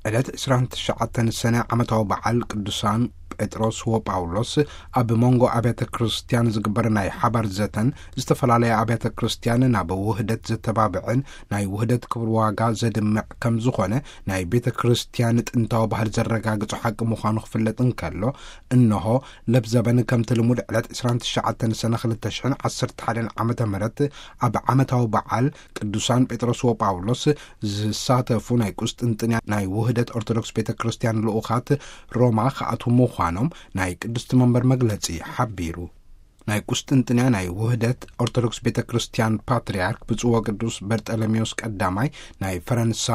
ዕለት ዕስራን ትሽዓተን ሰነ ዓመታዊ በዓል ቅዱሳን ጴጥሮስ ወጳውሎስ ኣብ መንጎ ኣብያተ ክርስቲያን ዝግበር ናይ ሓባር ዘተን፣ ዝተፈላለያ ኣብያተ ክርስቲያን ናብ ውህደት ዘተባብዕን ናይ ውህደት ክብር ዋጋ ዘድምዕ ከም ዝኾነ ናይ ቤተ ክርስቲያን ጥንታዊ ባህል ዘረጋግጾ ሓቂ ምዃኑ ክፍለጥ እንከሎ፣ እንሆ ለብዘበን ከምቲ ልሙድ ዕለት ዕስራን ትሽዓተን ሰነ ክልተ ሽሕን ዓሰርተ ሓደን ዓመተ ምህረት ኣብ ዓመታዊ በዓል ቅዱሳን ጴጥሮስ ወጳውሎስ ዝሳተፉ ናይ ቁስጥንጥንያ ናይ ውህደት ኦርቶዶክስ ቤተ ክርስቲያን ልኡኻት ሮማ ክኣትዉ ምዃኖም ናይ ቅድስቲ መንበር መግለጺ ሓቢሩ። ናይ ቁስጥንጥንያ ናይ ውህደት ኦርቶዶክስ ቤተ ክርስቲያን ፓትርያርክ ብፁዕ ወቅዱስ በርጠለሜዎስ ቀዳማይ ናይ ፈረንሳ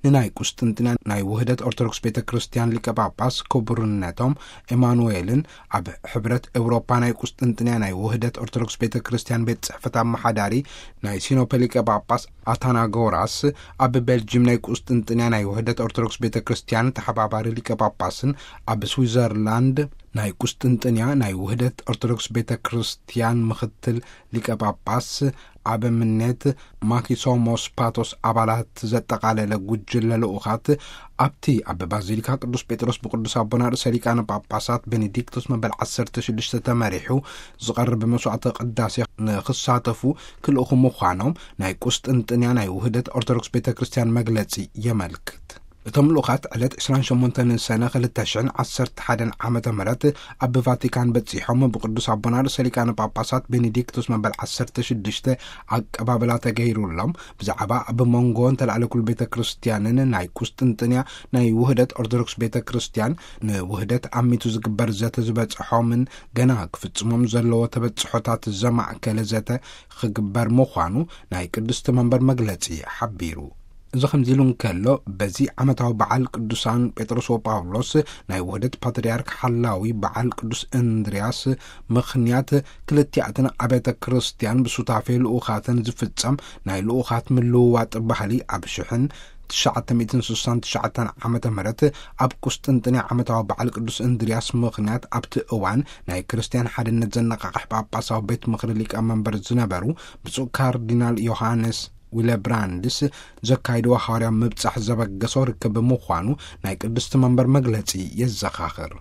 ንናይ ቁስጥንጥንያ ናይ ውህደት ኦርቶዶክስ ቤተ ክርስቲያን ሊቀ ጳጳስ ክቡርነቶም ኤማኑኤልን ኣብ ሕብረት ኤውሮፓ ናይ ቁስጥንጥንያ ናይ ውህደት ኦርቶዶክስ ቤተ ክርስቲያን ቤት ጽሕፈት ኣመሓዳሪ ናይ ሲኖፐ ሊቀ ጳጳስ ኣታናጎራስ፣ ኣብ ቤልጅም ናይ ቁስጥንጥንያ ናይ ውህደት ኦርቶዶክስ ቤተ ክርስቲያን ተሓባባሪ ሊቀ ጳጳስን ኣብ ስዊዘርላንድ ናይ ቁስጥንጥንያ ናይ ውህደት ኦርቶዶክስ ቤተ ክርስቲያን ምኽትል ሊቀ ጳጳስ ኣበምኔት ማኪሶሞስ ፓቶስ ኣባላት ዘጠቓለለ ጉጅለ ልኡኻት ኣብቲ ኣብ ባዚሊካ ቅዱስ ጴጥሮስ ብቅዱስ ኣቦና ርእሰ ሊቃነ ጳጳሳት ቤኔዲክቶስ መበል ዓሰርተ ሽዱሽተ ተመሪሑ ዝቐርብ መስዋዕተ ቅዳሴ ንክሳተፉ ክልእኹ ምዃኖም ናይ ቁስጥንጥንያ ናይ ውህደት ኦርቶዶክስ ቤተ ክርስቲያን መግለጺ የመልክት። እቶም ልኡኻት ዕለት ዕስራን ሸሞንተን ሰነ ክልተ ሽሕን ዓሰርተ ሓደን ዓመተ ምህረት ኣብ ቫቲካን በጺሖም ብቅዱስ ኣቦና ርእሰ ሊቃነ ጳጳሳት ቤኔዲክቶስ መበል ዓሰርተ ሽዱሽተ ኣቀባብላ ተገይሩሎም፣ ብዛዕባ ኣብ መንጎ እንተላዕለ ኩል ቤተ ክርስቲያንን ናይ ቁስጥንጥንያ ናይ ውህደት ኦርቶዶክስ ቤተ ክርስቲያን ንውህደት ኣሚቱ ዝግበር ዘተ ዝበጽሖምን ገና ክፍጽሞም ዘለዎ ተበጽሖታት ዘማእከለ ዘተ ክግበር ምዃኑ ናይ ቅድስቲ መንበር መግለጺ ሓቢሩ። እዚ ከምዚ ኢሉ እንከሎ፣ በዚ ዓመታዊ በዓል ቅዱሳን ጴጥሮስ ወጳውሎስ ናይ ውህደት ፓትርያርክ ሓላዊ በዓል ቅዱስ እንድርያስ ምኽንያት፣ ክልቲኣተን ኣብያተ ክርስቲያን ብሱታፌ ልኡኻተን ዝፍጸም ናይ ልኡኻት ምልውዋጥ ባህሊ ኣብ ሽሕን ትሽዓተ ሚእትን ስሳን ትሽዓተን ዓመተ ምህረት ኣብ ቁስጥንጥንያ ዓመታዊ በዓል ቅዱስ እንድርያስ ምኽንያት ኣብቲ እዋን ናይ ክርስቲያን ሓድነት ዘነቓቕሕ ጳጳሳዊ ቤት ምኽሪ ሊቀ መንበር ዝነበሩ ብፁዕ ካርዲናል ዮሃንስ ዊለብራንድስ ዘካይድዎ ሃዋርያ ምብጻሕ ዘበገሶ ርክብ ምዃኑ ናይ ቅድስቲ መንበር መግለጺ የዘኻኽር።